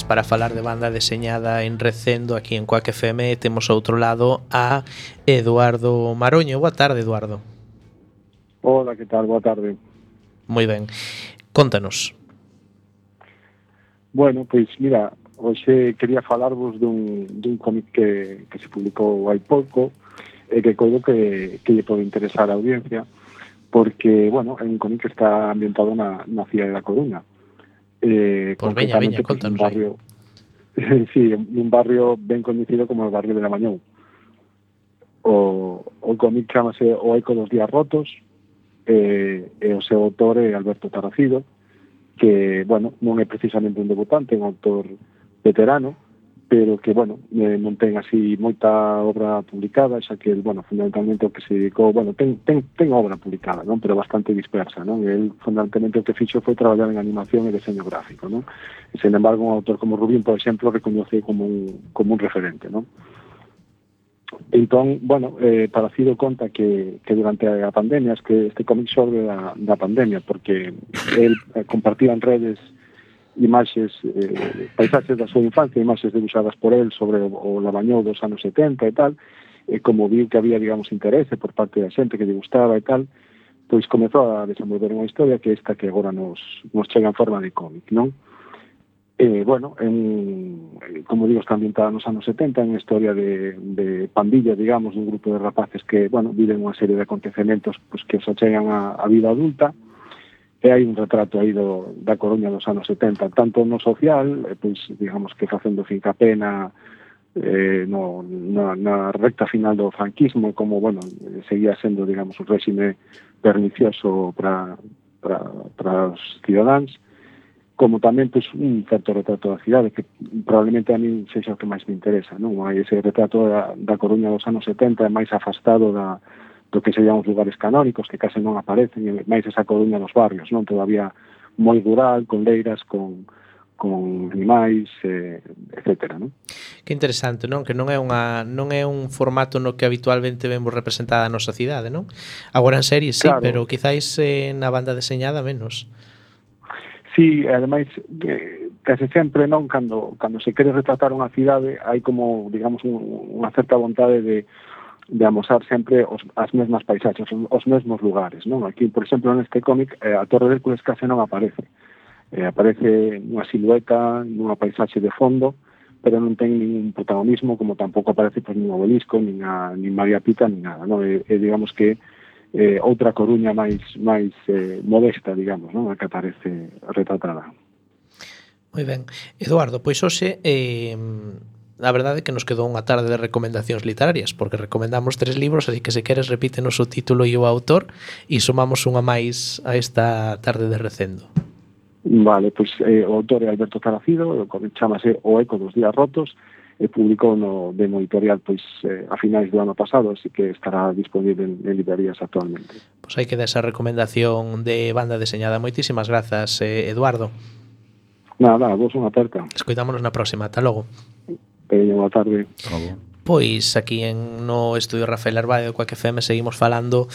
Para falar de banda deseñada en Recendo aquí en Cuac FM temos ao outro lado a Eduardo Maroño. Boa tarde, Eduardo. Hola, que tal? Boa tarde. Moi ben. Contanos. Bueno, pois mira, hoxe quería falarvos dun cómic que se publicou hai pouco e que coido que lle pode interesar a audiencia porque, bueno, é un cómic que está ambientado na cidade da Coruña. Pois veña, contanos barrio, sí, un barrio ben coñecido como o barrio de Lamañou. O cómic chamase O eco dos días rotos, e o seu autor é Alberto Tarracido, que, bueno, non é precisamente un debutante, é un autor veterano, pero que, bueno, non ten así moita obra publicada, xa que, bueno, fundamentalmente o que se dedicou, bueno, ten obra publicada, non? Pero bastante dispersa, non? El, fundamentalmente, o que fixo foi traballar en animación e deseño gráfico, non? E, sen embargo, un autor como Rubín, por exemplo, recoñece como un referente, non? Entón, bueno, Tarracido conta que durante a pandemia, que este cómic xorde da pandemia, porque el compartía en redes imaxes, paisaxes da súa infancia, imaxes debuxadas por el sobre o Lamañou dos anos 70 e tal, e como viu que había, digamos, interese por parte da xente que lle gustaba e tal, pois comezou a desenvolver unha historia que esta que agora nos chega en forma de cómic, non? Bueno, como digo, está ambientada nos anos 70, en historia de pandilla, digamos, un grupo de rapaces que, bueno, viven unha serie de acontecementos pues, que os achegan a vida adulta, e hai un retrato aí da Coruña dos anos 70, tanto no social, pois, digamos que facendo fincapé na recta final do franquismo, como, bueno, seguía sendo, digamos, un réxime pernicioso para os cidadáns, como tamén, pois, un certo retrato da cidade, que probablemente a mí sexa o que máis me interesa, non? Hai ese retrato da Coruña dos anos 70 máis afastado do que serían os lugares canónicos, que case non aparecen, e máis esa Coruña dos barrios, non? Todavía moi rural, con leiras, con animais, etcétera, non? Que interesante, non? Que non é un formato no que habitualmente vemos representada a nosa cidade, non? Agora en serie sí, claro, pero quizáis na banda deseñada menos. Sí, ademais, case sempre, non? Cando se quere retratar unha cidade, hai como, digamos, unha certa vontade de amosar sempre as mesmas paisaxes, os mesmos lugares, non? Aquí, por exemplo, neste cómic, a Torre de Hércules case non aparece. Aparece unha silueta, nunha paisaxe de fondo, pero non ten ningún protagonismo, como tampouco aparece nin Obelisco, nin María Pita, nin nada, non? Digamos que outra Coruña máis modesta, digamos, non? A que aparece retratada. Moi ben. Eduardo, pois hoxe a verdade é que nos quedou unha tarde de recomendacións literarias, porque recomendamos 3 libros, así que se queres repítenos o título e o autor e sumamos unha máis a esta tarde de recendo. Vale, pois o autor é Alberto Zarafido, chamase O eco dos días rotos, e publicou no editorial pois a finais do ano pasado, así que estará disponible en librerías actualmente. Pois hai que dar esa recomendación de banda deseñada. Moitísimas grazas, Eduardo. Nada, vos unha aperta. Escoitámonos na próxima. Ata logo. Boa tarde. Pois aquí no estudio Rafael Arbaio coa que FM seguimos falando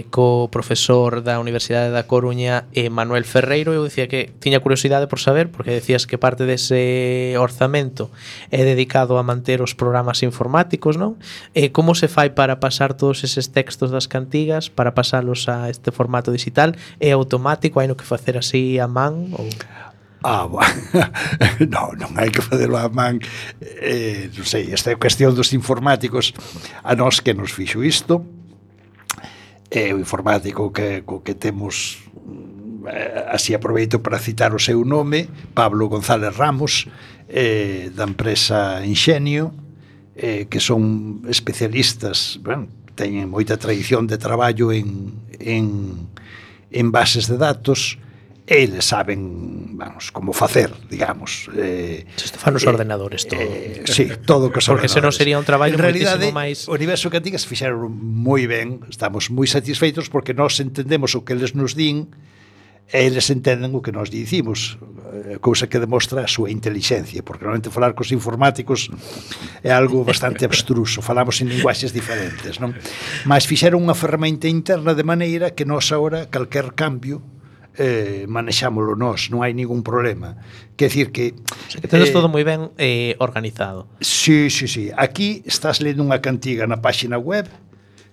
co profesor da Universidade da Coruña, Manuel Ferreiro. Eu dicía que tiña curiosidade por saber, porque decías que parte dese orzamento é dedicado a manter os programas informáticos, non? Como se fai para pasar todos eses textos das cantigas, para pasalos a este formato digital? É automático? Hai no que facer así a man? Ou... non hai que facelo a man, non sei, esta é a cuestión dos informáticos. A nós que nos fixo isto é o informático que temos, así aproveito para citar o seu nome, Pablo González Ramos, da empresa Inxenio, que son especialistas, teñen moita tradición de traballo en bases de datos. Eles saben, vamos, como facer, digamos. Isto fan os ordenadores todo. Sí, todo que os porque senón sería un traballo moitísimo máis. O universo Cantigas fixeron moi ben, estamos moi satisfeitos porque nós entendemos o que eles nos din e eles entenden o que nós dicimos, cousa que demostra a súa intelixencia, porque normalmente falar cos informáticos é algo bastante abstruso, falamos en linguaxes diferentes, non? Mas fixeron unha ferramenta interna de maneira que nós agora, calquer cambio, manexámolo nós, non hai ningún problema. Quer decir que tedes todo moi ben organizado. Sí. Aquí estás lendo unha cantiga na páxina web,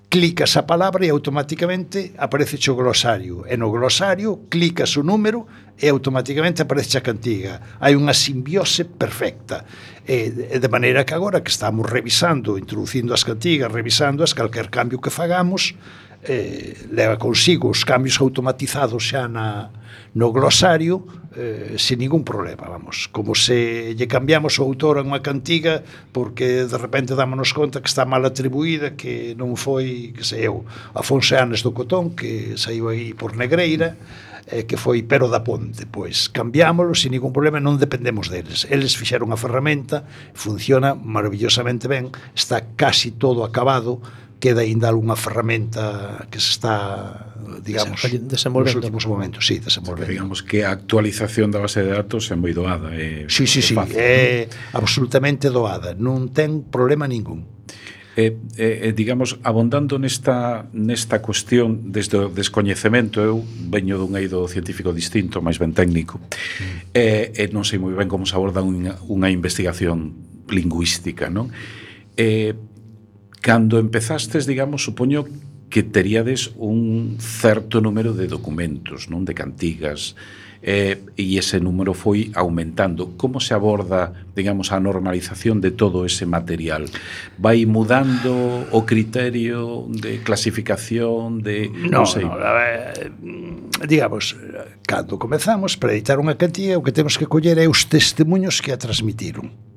clicas a palabra e automáticamente aparece o glosario, e no glosario clicas o número e automáticamente aparece a cantiga. Hai unha simbiose perfecta, de maneira que agora que estamos revisando, introducindo as cantigas, revisándoas, calquer cambio que fagamos leva consigo os cambios automatizados xa no glosario, sin ningún problema, vamos, como se lle cambiamos o autor a unha cantiga porque de repente dámonos conta que está mal atribuída, que non foi, que sei eu, Afonso Anes do Cotón, que saiu aí por Negreira, que foi Pero da Ponte, pois cambiámoslo sin ningún problema, non dependemos deles. Eles fixeron a ferramenta, funciona maravillosamente ben, está casi todo acabado, queda ainda algunha ferramenta que se está, digamos, nos últimos momentos, sí, desenvolvendo. Digamos que a actualización da base de datos é moi doada, sí, é absolutamente doada, non ten problema ningún. Digamos, abondando nesta cuestión desde o descoñecemento, eu veño dun eido científico distinto, máis ben técnico, e non sei moi ben como se aborda unha investigación lingüística, non? Cando empezastes, digamos, supoño que teríades un certo número de documentos, non, de cantigas, e ese número foi aumentando. Como se aborda, digamos, a normalización de todo ese material? Vai mudando o criterio de clasificación de... Non sei. Digamos, cando comezamos para editar unha cantiga, o que temos que coller é os testemunhos que a transmitiron.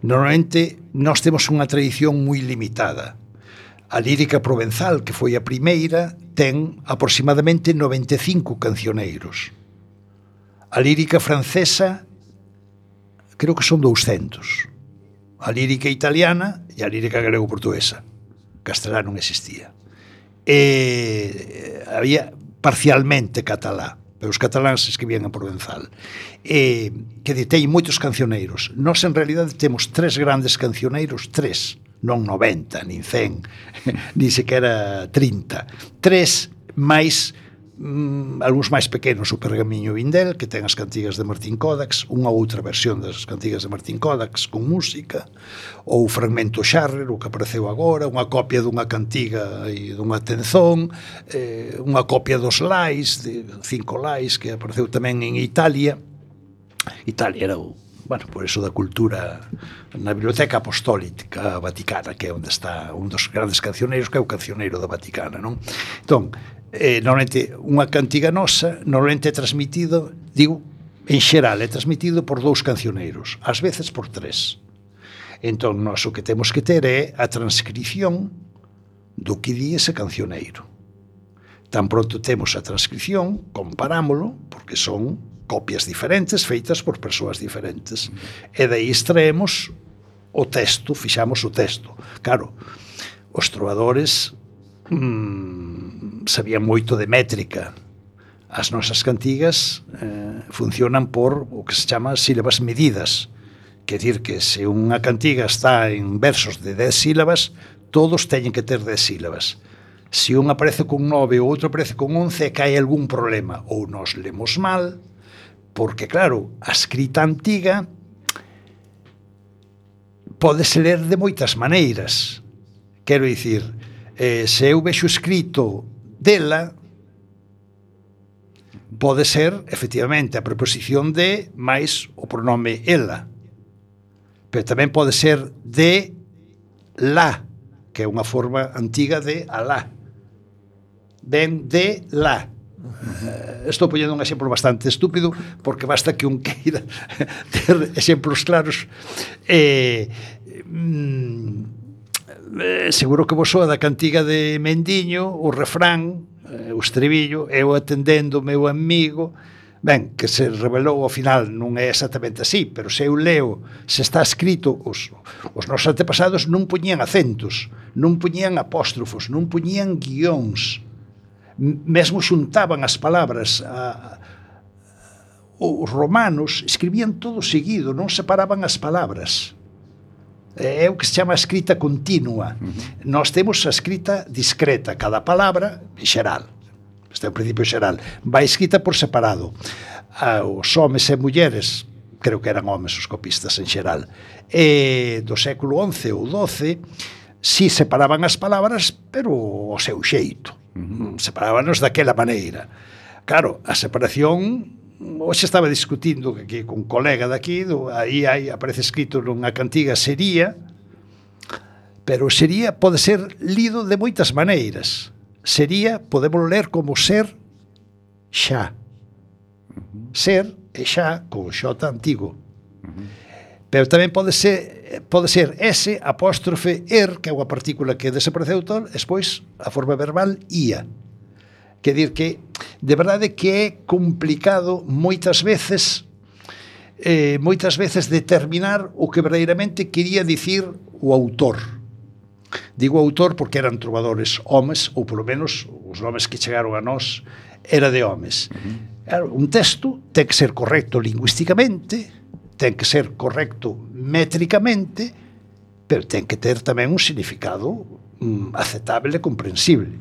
Normalmente, nós temos unha tradición moi limitada. A lírica provenzal, que foi a primeira, ten aproximadamente 95 cancioneiros. A lírica francesa, creo que son 200. A lírica italiana e a lírica grego-portuguesa. Castelá non existía. Había parcialmente catalá, pero os cataláns escribían en provenzal. Que detén moitos cancioneiros. Nós, en realidade, temos 3 grandes cancioneiros, 3, non 90, nin 100, nin sequera 30. 3 máis, algúns máis pequenos, o Pergamiño Vindel, que ten as cantigas de Martín Codax, unha outra versión das cantigas de Martín Codax con música, ou o Fragmento Xarrer, o que apareceu agora, unha copia dunha cantiga e dunha tenzón, unha copia dos lais, de 5 lais, que apareceu tamén en Italia. Italia era o bueno, por eso da cultura na Biblioteca Apostólica Vaticana, que é onde está un dos grandes cancioneiros, que é o cancioneiro da Vaticana, non? Entón, normalmente unha cantiga nosa normalmente é transmitido, digo, en xeral é transmitido por 2 cancioneiros, ás veces por 3. Entón, nós o que temos que ter é a transcripción do que di ese cancioneiro. Tan pronto temos a transcripción, comparámolo, porque son copias diferentes feitas por persoas diferentes, e daí extraemos o texto, fixamos o texto. Claro, os trovadores sabían moito de métrica. As nosas cantigas funcionan por o que se chama sílabas medidas, quer dir que se unha cantiga está en versos de 10 sílabas, todos teñen que ter 10 sílabas. Se un aparece con 9 ou outro aparece con 11, que hai algún problema, ou nos lemos mal, porque, claro, a escrita antiga pódese ler de moitas maneiras. Quero dicir, se eu vexo escrito dela, pode ser, efectivamente, a preposición de máis o pronome ela. Pero tamén pode ser de la, que é unha forma antiga de alá. Ben de la. Estou poñendo un exemplo bastante estúpido, porque basta que un queira ter exemplos claros. Seguro que vos soa da cantiga de Mendiño, o refrán, o estribillo, eu atendendo o meu amigo. Ben, que se revelou ao final non é exactamente así, pero se eu leo, se está escrito, os nosos antepasados non poñían acentos, non poñían apóstrofos, non poñían guións, mesmo xuntaban as palabras. Os romanos escribían todo seguido, non separaban as palabras. É o que se chama a escrita continua. Nós temos a escrita discreta, cada palabra en xeral, este é o principio xeral, vai escrita por separado. Os homes e mulleres, creo que eran homes os copistas en xeral, do século XI ou XII, si separaban as palabras, pero ao seu xeito. Separábanos daquela maneira. Claro, a separación, hoxe estaba discutindo que con un colega daqui, aí aparece escrito nunha cantiga sería, pero sería pode ser lido de moitas maneiras. Sería, podemos ler como ser xa. Ser e xa con xota antigo. Pero tamén pode ser S apóstrofe que é unha partícula que desapareceu todo, despois a forma verbal ia. Quer dir que, de verdade que é complicado moitas veces determinar o que verdadeiramente quería dicir o autor. Digo autor porque eran trovadores homes, ou polo menos os nomes que chegaron a nós era de homes. Un texto ten que ser correcto lingüísticamente, ten que ser correcto métricamente, pero ten que ter tamén un significado aceptable e comprensible.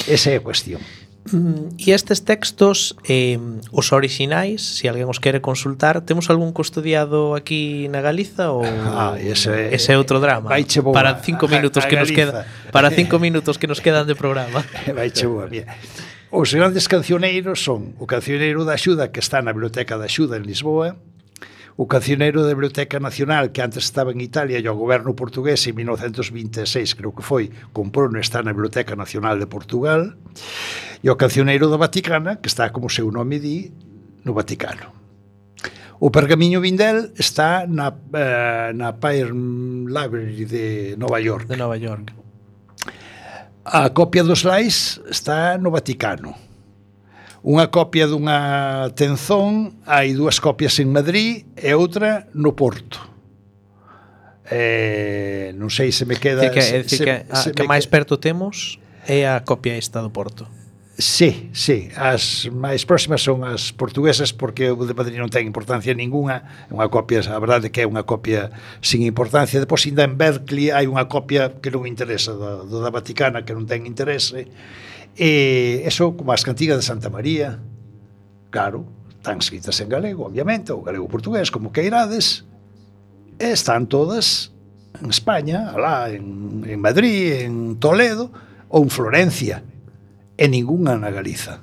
Esa é a cuestión. E estes textos, os orixinais, se alguén os quere consultar, temos algún custodiado aquí na Galiza ou ese é outro drama? Para 5 minutos que nos queda, para 5 minutos que nos quedan de programa. Vaiche boa, mira. Os grandes cancioneiros son o Cancioneiro da Axuda, que está na Biblioteca da Axuda en Lisboa, o Cancioneiro da Biblioteca Nacional, que antes estaba en Italia, e o goberno portugués en 1926, creo que foi, comprou e está na Biblioteca Nacional de Portugal, e o Cancioneiro da Vaticana, que está, como o seu nome di, no Vaticano. O Pergamiño Vindel está na Pyer Library de Nova York. De Nova York. A copia dos Lais está no Vaticano. Unha copia dunha tenzón, hai 2 copias en Madrid e outra no Porto. Non sei se me queda... É dicir que máis perto temos é a copia esta do Porto. Sí, as máis próximas son as portuguesas, porque o de Madrid non ten importancia ninguna, é unha copia, a verdade que é unha copia sin importancia. Depois, ainda en Berkeley hai unha copia que non interesa, do da Vaticana, que non ten interese, e eso, como as cantigas de Santa María, claro, están escritas en galego, obviamente, ou galego portugués, como queirades, e están todas en España, alá en Madrid, en Toledo, ou en Florencia, e ningunha na Galiza.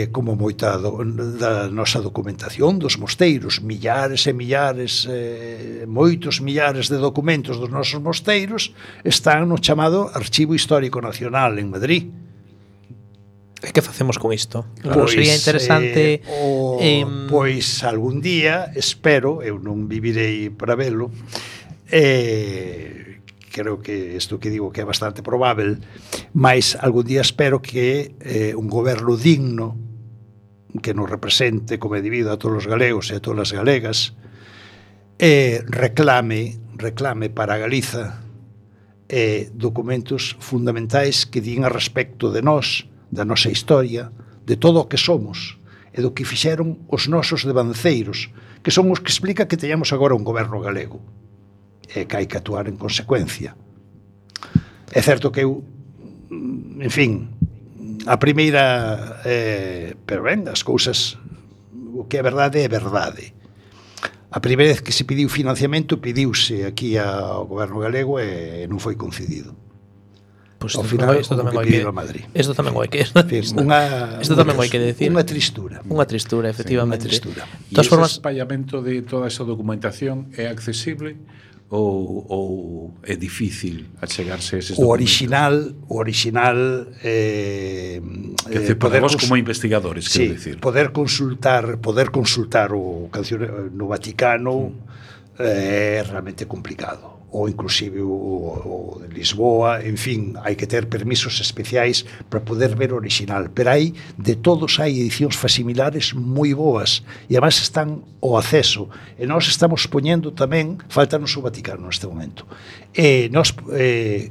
como moita da nosa documentación dos mosteiros, millares e millares, moitos millares de documentos dos nosos mosteiros están no chamado Archivo Histórico Nacional en Madrid. E que facemos con isto? Pois, sería interesante pois algún día, espero, eu non vivirei para velo, creo que isto que digo que é bastante probável, mas algún día espero que un goberno digno que nos represente como é debido a todos os galegos e a todas as galegas reclame para Galiza documentos fundamentais que din a respecto de nós, da nosa historia, de todo o que somos e do que fixeron os nosos devanceiros, que son os que explica que teñamos agora un goberno galego e que hai que actuar en consecuencia. É certo que eu, en fin, a primeira, pero ben, as cousas, o que é verdade é verdade. A primeira vez que se pediu financiamento, pediuse aquí ao goberno galego e non foi concedido. Pues ao final, isto tamén hai que Madrid. Isto tamén hai que decir. Unha tristura. Unha tristura, efectivamente. Sí, e ese espallamento de toda esa documentación é accesible ou é difícil achegarse a eses documentos? O original poder vos como investigadores, quero dicir. Poder consultar o no Vaticano é realmente complicado. Ou inclusive o de Lisboa, en fin, hai que ter permisos especiais para poder ver o original, pero hai de todos, hai edicións facsimilares moi boas e además están ao acceso e nós estamos poñendo tamén, faltanos o Vaticano neste momento, e nós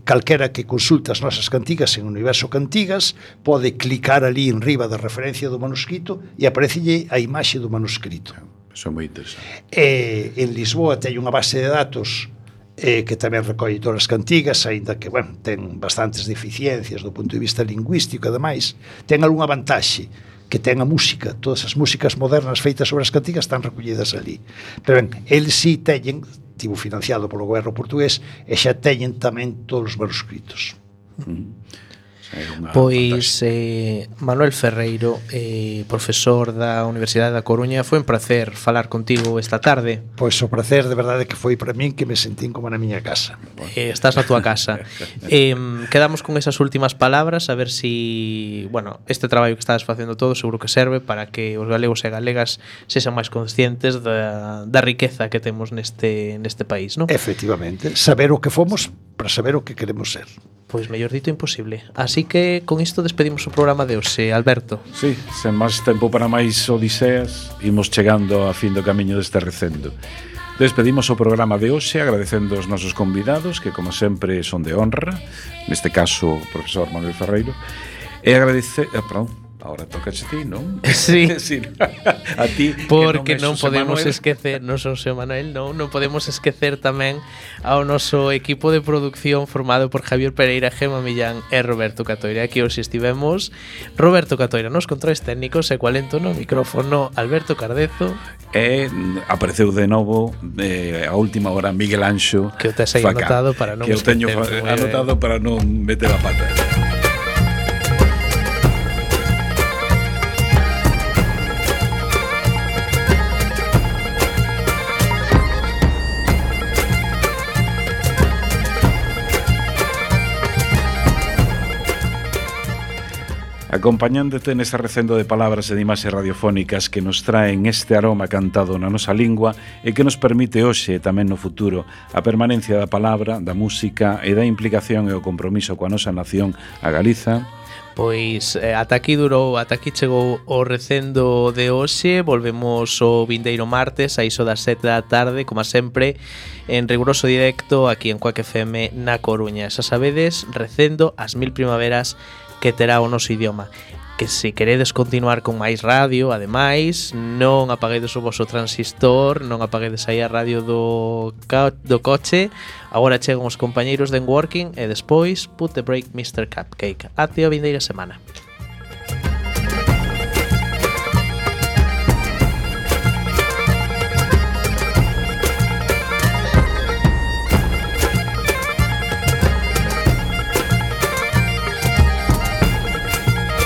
calquera que consulta as nosas cantigas en Universo Cantigas pode clicar ali en riba da referencia do manuscrito e aparecelle a imaxe do manuscrito. Eso é moi interesante. En Lisboa ten unha base de datos que tamén recolle todas as cantigas, aínda que, bueno, ten bastantes deficiencias do punto de vista lingüístico, ademais, ten algunha vantaxe, que ten a música, todas as músicas modernas feitas sobre as cantigas están recollidas ali. Pero ben, eles si teñen, tivo financiado polo goberno portugués, e xa teñen tamén todos os manuscritos. Pois Manuel Ferreiro, profesor da Universidade da Coruña, foi un placer falar contigo esta tarde. Pois o placer de verdade que foi para min, que me sentín como na miña casa. Estás na túa casa. Quedamos con esas últimas palabras, a ver si, bueno, este traballo que estás facendo todo seguro que serve para que os galegos e galegas sexan máis conscientes da riqueza que temos neste país, non? Efectivamente, saber o que fomos para saber o que queremos ser. Pois mellor dito imposible. Así que con isto despedimos o programa de hoxe, Alberto. Sí, sen máis tempo para máis odiseas, imos chegando a fin do camiño deste recendo. Despedimos o programa de hoxe agradecendo os nosos convidados, que como sempre son de honra, neste caso o profesor Manuel Ferreiro, e agradecer... Ahora toca a ti, non? Sí. Sí. A ti, porque non podemos esquecer, non son Xosé Manuel, non podemos esquecer tamén ao noso equipo de producción formado por Javier Pereira, Gema Millán e Roberto Catoira. Aquí hoxe estivemos Roberto Catoira nos controles técnicos e Cualento no micrófono Alberto Cardezo. E apareceu de novo a última hora Miguel Anxo, que o tes aí anotado para non que o teño anotado para non meter a pata. Acompañándote nese recendo de palabras e de imaxes radiofónicas que nos traen este aroma cantado na nosa lingua e que nos permite hoxe e tamén no futuro a permanencia da palabra, da música e da implicación e o compromiso coa nosa nación, a Galiza. Pois ata aquí chegou o recendo de hoxe. Volvemos o vindeiro martes a iso das 7 da tarde, como sempre, en riguroso directo aquí en Cuac FM na Coruña. Xa sabedes, recendo as 1000 primaveras que terá o noso idioma. Que se queredes continuar con máis radio, ademais, non apaguedes o voso transistor, non apaguedes aí a radio do coche. Agora chegan os compañeiros de Working e despois Put the Break Mr. Cupcake. Até a vindeira semana.